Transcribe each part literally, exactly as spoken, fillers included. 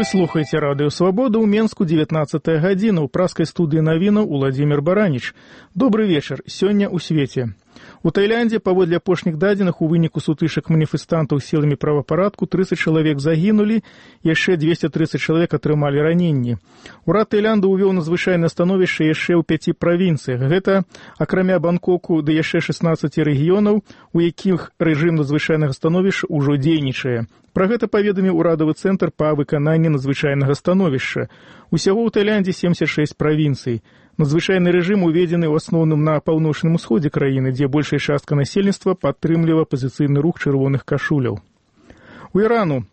Вы слухаеце радыё Свабода ў Менску дзевятнаццатая гадзіна. У праскай студыі навінаў Уладзімір Бараніч. Добры вечар. Сёння ў свеце. У Таіландзе, паводле апошніх дадзеных, у выніку сутычак маніфестантаў з сіламі правапарадку трыццаць чалавек загінулі, яшчэ дзвесце трыццаць чалавек атрымалі раненні. Урад Таіланда ўвёў надзвычайнае становішча яшчэ ў пяці правінцыях. Гэта, акрамя Бангкоку, ды яшчэ шэснаццаці рэгіёнаў, у якіх рэжым надзвычайнага становішча ўжо дзейнічае. Пра гэта паведаміў урадавы цэнтр па выкананні надзвычайнага становішча. Усяго ў Таіландзе семдзесят шэсць правінцый. Надзвычайны рэжым уведзены ў асноўным на паўночным усходзе краіны, дзе большая частка насельніцтва падтрымлівае апазіцыйны рух чырвоных кашуляў. У Ірану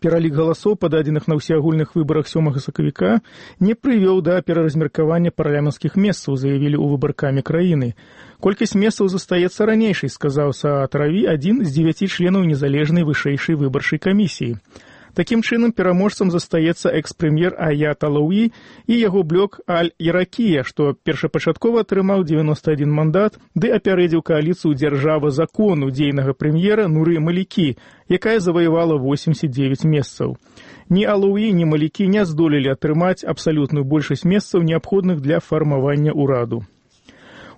пералік галасоў, пададзеных на ўсеагульных выбарах сёмага сакавіка, не прывёў да пераразмеркавання парламенцкіх месцаў, заявілі ў выбаркамі краіны. Колькасць месцаў застаецца ранейшай, сказаў Саад Раві, адзін з дзевяці членаў незалежнай вышэйшай выбарчай камісіі. Такім чынам, пераможцам застаецца экс-прэм'ер Аят Алауі і яго блок Аль-Іракія, што першапачаткова атрымаў дзевяноста адзін мандат, ды апярэдзіў кааліцыю «Дзяржава закону» дзейнага прэм'ера Нуры Малікі, якая заваявала восемьдесят девять месцаў. Ні Алауі, ні Малікі не здолелі атрымаць абсалютную большасць месцаў, неабходных для фармавання ўраду.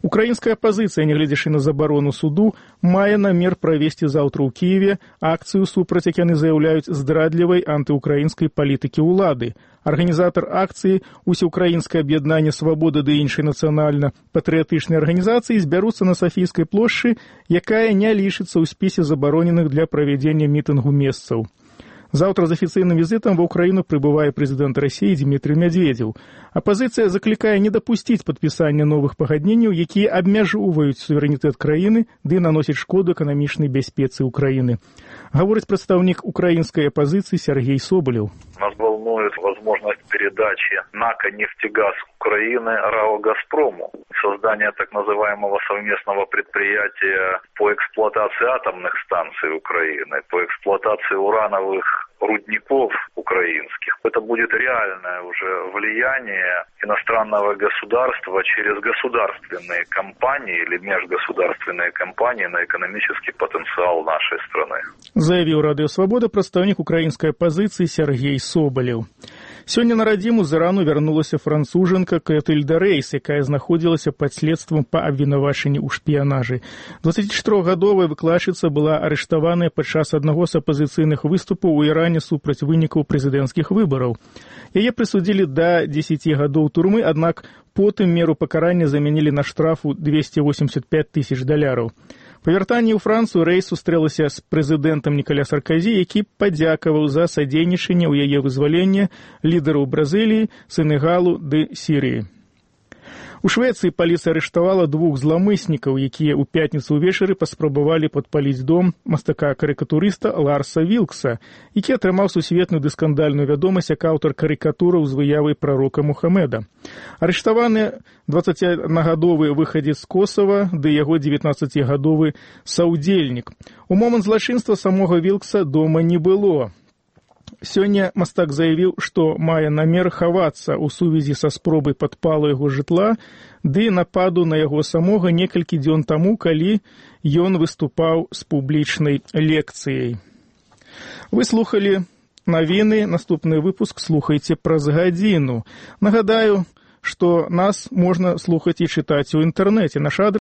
Украінская апазіцыя, нягледзячы на забарону суду, мае намер правесці заўтра ў Кіеве акцыю супраць, як яны заяўляюць, здрадлівай антыукраінскай палітыкі ўлады. Арганізатар акцыі, усеукраінскае аб'яднанне «Свабода» ды іншай нацыянальна-патрыятычнай арганізацыі збяруцца на Сафійскай плошчы, якая не лічыцца ў спісе забароненых для правядзення мітынгу месцаў. Заўтра з афіцыйным візітам ва ўкраіну прыбывае прэзідэнт Расіі Дзмітрый Мядзведзеў. Апазіцыя заклікае не дапусціць падпісання новых пагадненняў, якія абмяжоўваюць суверэнітэт краіны ды наносяць шкоду эканамічнай бяспецы ўкраіны. Гаворыць прадстаўнік украінскай апазіцыі Сергей Соболев. Нас волнует возможность передачи НАК «Нефтегаз» Украины РАО «Газпрому». Создание так называемого совместного предприятия по эксплуатации атомных станций Украины, по эксплуатации урановых рудников украинских. Это будет реальное уже влияние иностранного государства через государственные компании или межгосударственные компании на экономический потенциал нашей страны. Заявил Радыё Свабода прадстаўнік украінскай апазіцыі Сергей Соболев. Сёння на радзіму з Ірану вярнулася францужанка Клетыльда Рейс, якая знаходзілася пад следствам па абвінавачанні ў шпіянажы. дваццацічатырохгадовая выкладчыца была арыштаваная падчас аднаго з апазіцыйных выступаў у Іране супраць вынікаў прэзідэнцкіх выбараў. Яе прысудзілі да дзесяці гадоў турмы, аднак потым меру пакарання замянілі на штрафу двести восемьдесят пять тысяч даляраў. Па вяртанні ў Францыю Рэйс сустрэлася з прэзідэнтам Нікаля Сарказі, які падзякаваў за садзейнічанне ў яе вызвалення лідараў Бразыліі, Сенегалу ды Сірыі. У Швецыі паліцыя арыштавала двух зламыснікаў, якія ў пятніцу ўвечары паспрабавалі падпаліць дом мастака-карыкатурыста Ларса Вілкса, які атрымаў сусветную ды скандальную вядомасць як аўтар карыкатураў з выявай прарока Мухаммеда. Арыштаваны дваццаціаднагадовы выхадзец з Косава ды яго дзевятнаццацігадовы саўдзельнік. У момант злачынства самога Вілкса дома не было. Сёння мастак заявіў, што мае намер хавацца ў сувязі са спробай падпалу яго жытла ды нападу на яго самога некалькі дзён таму, калі ён выступаў з публічнай лекцыяй. Вы слухалі навіны, наступны выпуск слухайце праз гадзіну. Нагадаю, што нас можна слухаць і чытаць у інтэрнэце. Наш адрес